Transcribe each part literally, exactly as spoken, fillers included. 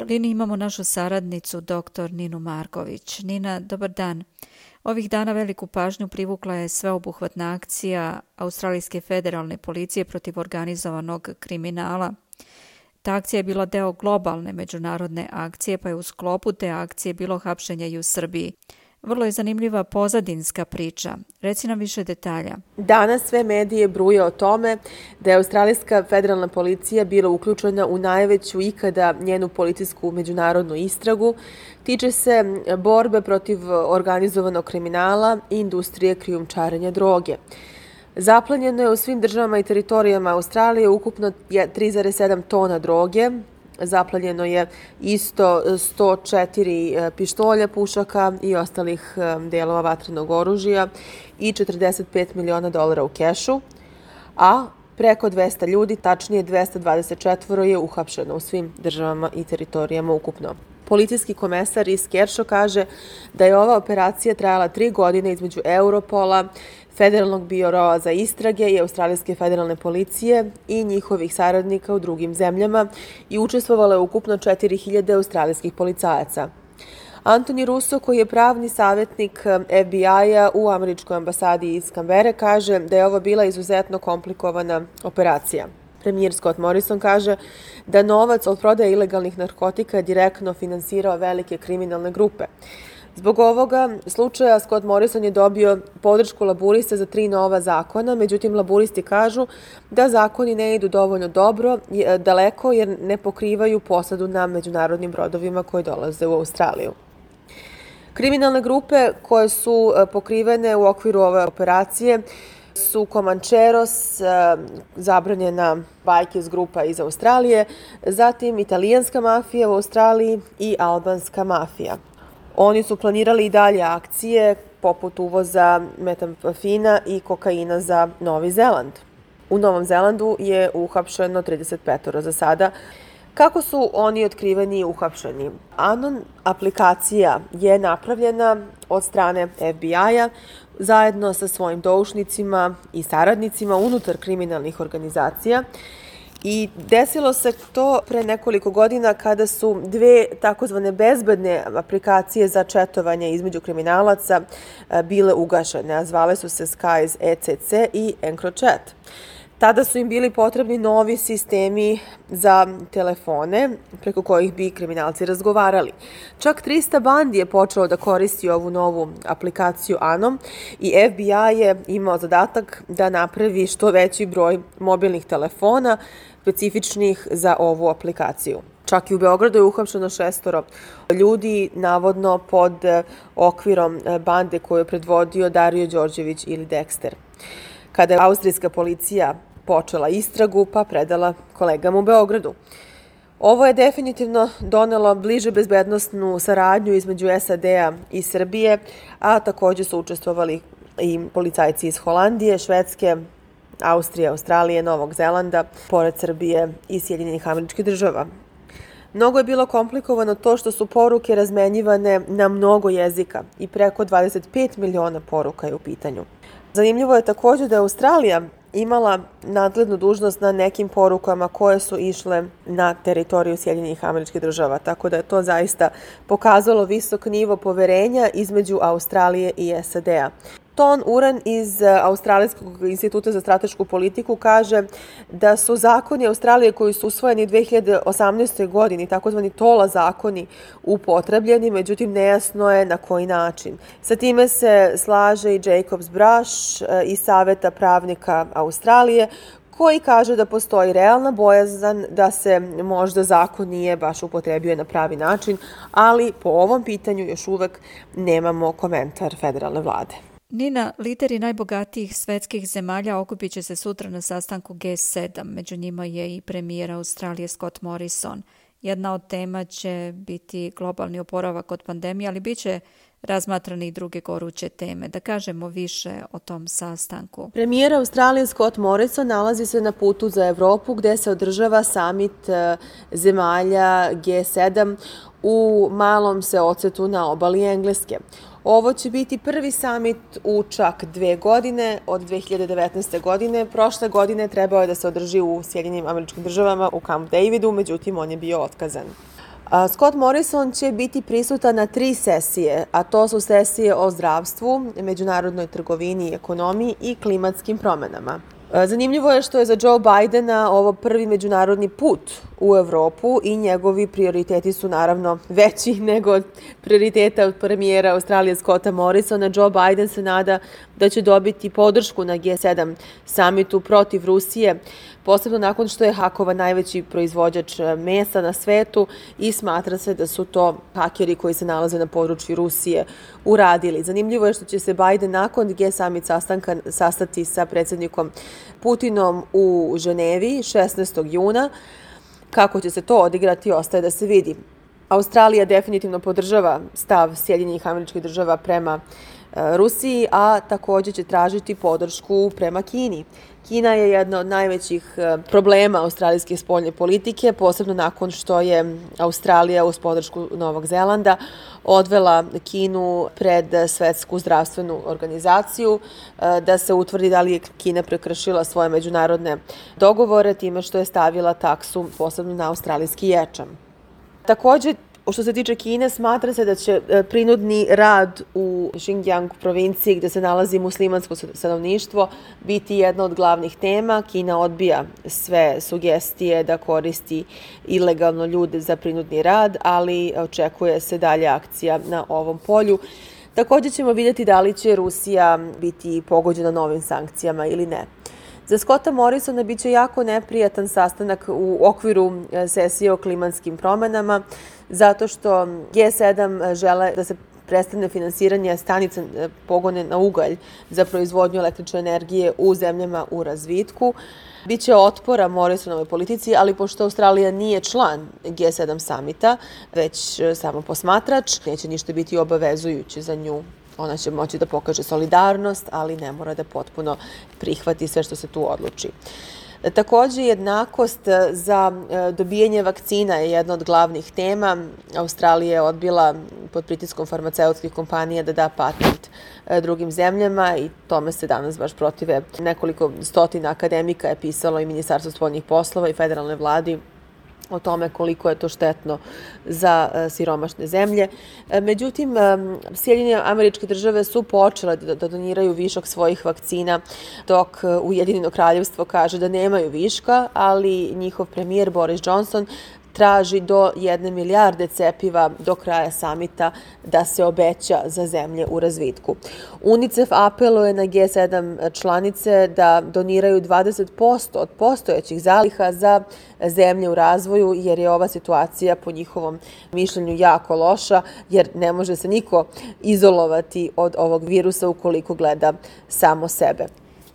liniji imamo našu saradnicu, doktor Ninu Marković. Nina, dobar dan. Ovih dana veliku pažnju privukla je sveobuhvatna akcija Australijske federalne policije protiv organizovanog kriminala. Ta akcija je bila deo globalne međunarodne akcije, pa je u sklopu te akcije bilo hapšenje i u Srbiji. Vrlo je zanimljiva pozadinska priča. Reci nam više detalja. Danas sve medije bruje o tome da je Australijska federalna policija bila uključena u najveću ikada njenu policijsku međunarodnu istragu. Tiče se borbe protiv organizovanog kriminala i industrije krijumčarenja droge. Zaplenjeno je u svim državama i teritorijama Australije ukupno tri zarez sedam tona droge. Zaplenjeno je isto sto četiri pištolja, pušaka i ostalih delova vatrenog oružja i četrdeset pet miliona dolara u kešu, a preko dvesta ljudi, tačnije dvesta dvadeset četvoro, je uhapšeno u svim državama i teritorijama ukupno. Policijski komesar iz Kershaw kaže da je ova operacija trajala tri godine između Europola, Federalnog biroa za istrage i Australijske federalne policije i njihovih saradnika u drugim zemljama i učestvovalo je ukupno četiri hiljade australijskih policajaca. Anthony Russo, koji je pravni savjetnik F B I-a u američkoj ambasadi iz Kambere, kaže da je ovo bila izuzetno komplikovana operacija. Premijer Scott Morrison kaže da novac od prodaje ilegalnih narkotika je direktno finansirao velike kriminalne grupe. Zbog ovoga slučaja Scott Morrison je dobio podršku laburista za tri nova zakona, međutim laburisti kažu da zakoni ne idu dovoljno dobro, daleko jer ne pokrivaju posadu na međunarodnim brodovima koji dolaze u Australiju. Kriminalne grupe koje su pokrivene u okviru ove operacije su Comancheros, zabranjena Bikers grupa iz Australije, zatim italijanska mafija u Australiji i albanska mafija. Oni su planirali i dalje akcije poput uvoza metamfina i kokaina za Novi Zeland. U Novom Zelandu je uhapšeno trideset petoro za sada. Kako su oni otkriveni i uhapšeni? Anon aplikacija je napravljena od strane F B I-a zajedno sa svojim doušnicima i saradnicima unutar kriminalnih organizacija. I desilo se to pre nekoliko godina kada su dve takozvane bezbedne aplikacije za četovanje između kriminalaca bile ugašene, a zvale su se Skies E C C i EncroChat. Tada su im bili potrebni novi sistemi za telefone preko kojih bi kriminalci razgovarali. Čak trista bandi je počelo da koristi ovu novu aplikaciju Anom i F B I je imao zadatak da napravi što veći broj mobilnih telefona specifičnih za ovu aplikaciju. Čak i u Beogradu je uhapšeno šestoro ljudi, navodno pod okvirom bande koju je predvodio Dario Đorđević ili Dexter. Kada je austrijska policija počela istragu, pa predala kolegama u Beogradu. Ovo je definitivno donelo bliže bezbednosnu saradnju između S A D-a i Srbije, a također su učestvovali i policajci iz Holandije, Švedske, Austrije, Australije, Novog Zelanda, pored Srbije i Sjedinjenih Američkih Država. Mnogo je bilo komplikovano to što su poruke razmenjivane na mnogo jezika i preko dvadeset pet miliona poruka je u pitanju. Zanimljivo je također da je Australija imala nadglednu dužnost na nekim porukama koje su išle na teritoriju Sjedinjenih Američkih Država, tako da je to zaista pokazalo visok nivo poverenja između Australije i S A D-a. Ton Uren iz Australijskog instituta za stratešku politiku kaže da su zakoni Australije koji su usvojeni u dve hiljade osamnaestoj. godini, takozvani Tola zakoni, upotrebljeni, međutim nejasno je na koji način. Sa time se slaže i Jacobs Brush iz Saveta pravnika Australije, koji kaže da postoji realna bojazan da se možda zakon nije baš upotrebio na pravi način, ali po ovom pitanju još uvek nemamo komentar federalne vlade. Nina, lideri najbogatijih svetskih zemalja okupit će se sutra na sastanku G sedam. Među njima je i premijer Australije Scott Morrison. Jedna od tema će biti globalni oporavak od pandemije, ali bit će razmatrane i druge goruće teme. Da kažemo više o tom sastanku. Premijer Australije Scott Morrison nalazi se na putu za Evropu gde se održava samit zemalja G sedam u malom seocetu na obali Engleske. Ovo će biti prvi samit u čak dve godine, od dve hiljade devetnaeste. godine. Prošle godine trebao je da se održi u Sjedinjenim Američkim Državama u Camp Davidu, međutim on je bio otkazan. Scott Morrison će biti prisutan na tri sesije, a to su sesije o zdravstvu, međunarodnoj trgovini i ekonomiji i klimatskim promenama. Zanimljivo je što je za Joe Bidena ovo prvi međunarodni put u Evropu i njegovi prioriteti su naravno veći nego od prioriteta od premijera Australije Scotta Morrisona. Joe Biden se nada da će dobiti podršku na G sedam samitu protiv Rusije, posebno nakon što je hakovan najveći proizvođač mesa na svetu i smatra se da su to hakeri koji se nalaze na području Rusije uradili. Zanimljivo je što će se Biden nakon G summit sastanka sastati sa predsjednikom Putinom u Ženevi šesnaestog juna. Kako će se to odigrati, ostaje da se vidi. Australija definitivno podržava stav Sjedinjenih Američkih Država prema Rusiji, a također će tražiti podršku prema Kini. Kina je jedna od najvećih problema australijske spoljne politike, posebno nakon što je Australija uz podršku Novog Zelanda odvela Kinu pred Svetsku zdravstvenu organizaciju da se utvrdi da li je Kina prekršila svoje međunarodne dogovore time što je stavila taksu posebno na australijski ječam. Također, što se tiče Kine, smatra se da će prinudni rad u Xinjiang provinciji gdje se nalazi muslimansko stanovništvo biti jedna od glavnih tema. Kina odbija sve sugestije da koristi ilegalno ljude za prinudni rad, ali očekuje se dalje akcija na ovom polju. Također ćemo vidjeti da li će Rusija biti pogođena novim sankcijama ili ne. Za Scotta Morrisona bit će jako neprijatan sastanak u okviru sesije o klimatskim promenama, zato što G sedam žele da se prestane finansiranje stanica pogone na ugalj za proizvodnju električne energije u zemljama u razvitku. Biće otpora Morrisonovoj politici, ali pošto Australija nije član G sedam samita, već samo posmatrač, neće ništa biti obavezujuće za nju. Ona će moći da pokaže solidarnost, ali ne mora da potpuno prihvati sve što se tu odluči. Također, jednakost za dobijanje vakcina je jedna od glavnih tema. Australija je odbila pod pritiskom farmaceutskih kompanija da da patent drugim zemljama i tome se danas baš protive. Nekoliko stotina akademika je pisalo i Ministarstvo spoljnih poslova i federalne vladi o tome koliko je to štetno za siromašne zemlje. Međutim, Sjedinjene Američke Države su počele da doniraju višak svojih vakcina, dok Ujedinjeno Kraljevstvo kaže da nemaju viška, ali njihov premijer Boris Johnson traži do jedne milijarde cepiva do kraja samita da se obeća za zemlje u razvitku. UNICEF apeluje na G sedam članice da doniraju dvadeset posto od postojećih zaliha za zemlje u razvoju, jer je ova situacija po njihovom mišljenju jako loša, jer ne može se niko izolovati od ovog virusa ukoliko gleda samo sebe.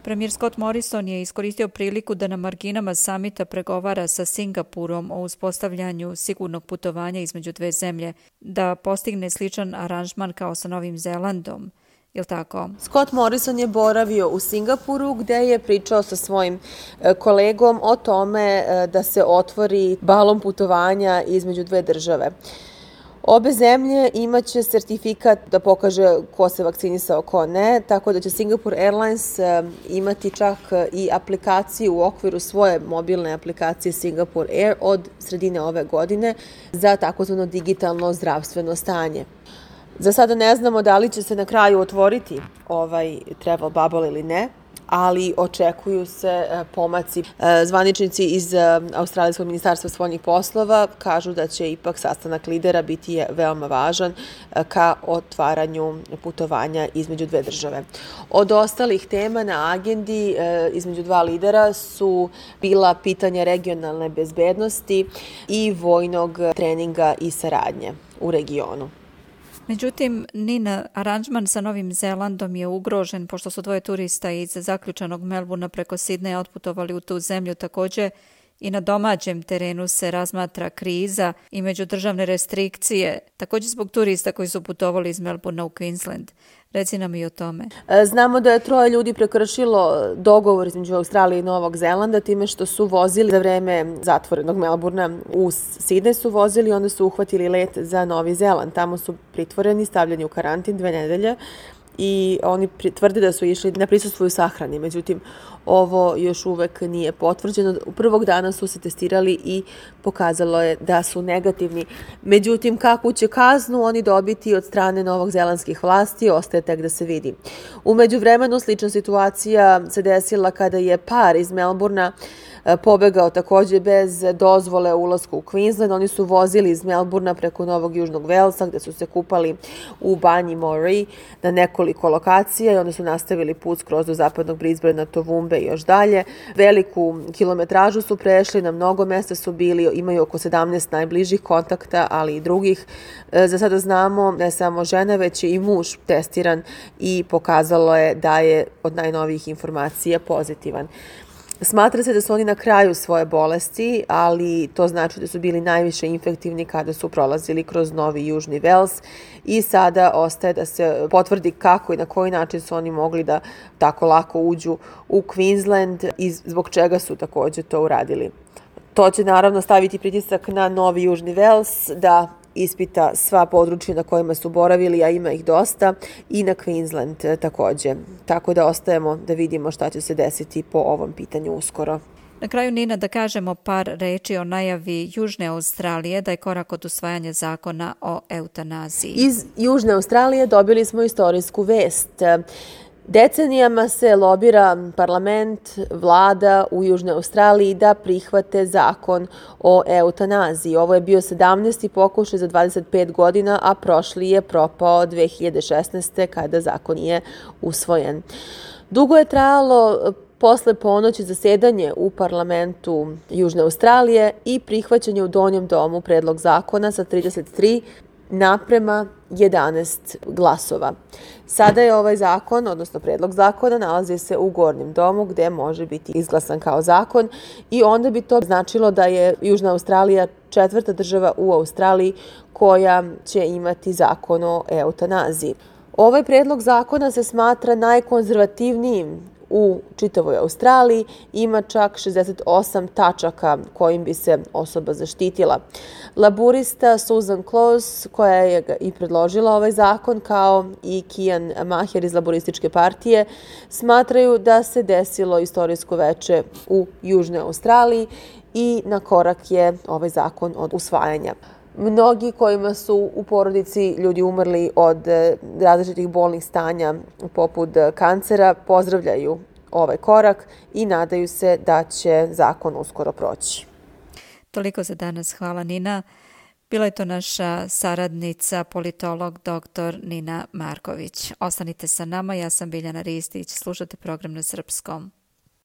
Premijer Scott Morrison je iskoristio priliku da na marginama samita pregovara sa Singapurom o uspostavljanju sigurnog putovanja između dve zemlje, da postigne sličan aranžman kao sa Novim Zelandom. Je li tako? Scott Morrison je boravio u Singapuru gdje je pričao sa svojim kolegom o tome da se otvori balon putovanja između dve države. Obe zemlje imaće sertifikat da pokaže ko se vakcinisao, ko ne, tako da će Singapore Airlines imati čak i aplikaciju u okviru svoje mobilne aplikacije Singapore Air od sredine ove godine za takozvano digitalno zdravstveno stanje. Za sada ne znamo da li će se na kraju otvoriti ovaj travel bubble ili ne, ali očekuju se pomaci. Zvaničnici iz Australijskog ministarstva spoljnih poslova kažu da će ipak sastanak lidera biti veoma važan ka otvaranju putovanja između dve države. Od ostalih tema na agendi između dva lidera su bila pitanja regionalne bezbednosti i vojnog treninga i saradnje u regionu. Međutim, Nina, aranžman sa Novim Zelandom je ugrožen pošto su dvoje turista iz zaključanog Melbourna preko Sidneja otputovali u tu zemlju. Također i na domaćem terenu se razmatra kriza i međudržavne restrikcije, također zbog turista koji su putovali iz Melbourna u Queensland. Reci nam i o tome. Znamo da je troje ljudi prekršilo dogovor između Australije i Novog Zelanda time što su vozili za vreme zatvorenog Melbourna u Sidney su vozili, onda su uhvatili let za Novi Zeland. Tamo su pritvoreni, stavljeni u karantin dve nedelje i oni tvrde da su išli na prisustvo u sahrani. Međutim, ovo još uvek nije potvrđeno. U prvog dana su se testirali i pokazalo je da su negativni. Međutim, kakvu će kaznu oni dobiti od strane novozelandskih vlasti, ostaje tek da se vidi. U međuvremenu slična situacija se desila kada je par iz Melbourna pobegao takođe bez dozvole u ulasku u Queensland. Oni su vozili iz Melbourna preko Novog Južnog Velsa, gde su se kupali u banji Moree na nekoliko lokacija i onda su nastavili put skroz do zapadnog Brisbanea, Toowoomba i još dalje. Veliku kilometražu su prešli, na mnogo mesta su bili, imaju oko sedamnaest najbližih kontakta, ali i drugih. Za sada znamo ne samo žena, već i muž testiran i pokazalo je da je od najnovijih informacija pozitivan. Smatra se da su oni na kraju svoje bolesti, ali to znači da su bili najviše infektivni kada su prolazili kroz Novi Južni Vels i sada ostaje da se potvrdi kako i na koji način su oni mogli da tako lako uđu u Queensland i zbog čega su takođe to uradili. To će naravno staviti pritisak na Novi Južni Vels da ispita sva područja na kojima su boravili, a ima ih dosta, i na Queensland takođe. Tako da ostajemo da vidimo šta će se desiti po ovom pitanju uskoro. Na kraju, Nina, da kažemo par reči o najavi Južne Australije da je korak od usvajanja zakona o eutanaziji. Iz Južne Australije dobili smo istorijsku vest. Decenijama se lobira parlament, vlada u Južnoj Australiji da prihvate zakon o eutanaziji. Ovo je bio sedamnaesti pokušaj za dvadeset pet godina, a prošli je propao dve hiljade šesnaeste. kada zakon je usvojen. Dugo je trajalo posle ponoći zasedanje u parlamentu Južne Australije i prihvaćanje u donjem domu predlog zakona sa trideset tri naprema jedanaest glasova. Sada je ovaj zakon, odnosno predlog zakona, nalazi se u gornjem domu gde može biti izglasan kao zakon i onda bi to značilo da je Južna Australija četvrta država u Australiji koja će imati zakon o eutanaziji. Ovaj predlog zakona se smatra najkonzervativnijim u čitavoj Australiji, ima čak šezdeset osam tačaka kojim bi se osoba zaštitila. Laburista Susan Close, koja je i predložila ovaj zakon, kao i Kian Maher iz Laburističke partije, smatraju da se desilo istorijsko veče u Južnoj Australiji i na korak je ovaj zakon od usvajanja. Mnogi kojima su u porodici ljudi umrli od različitih bolnih stanja poput kancera pozdravljaju ovaj korak i nadaju se da će zakon uskoro proći. Toliko za danas. Hvala, Nina. Bila je to naša saradnica, politolog doktor Nina Marković. Ostanite sa nama, ja sam Biljana Ristić, slušate program na srpskom.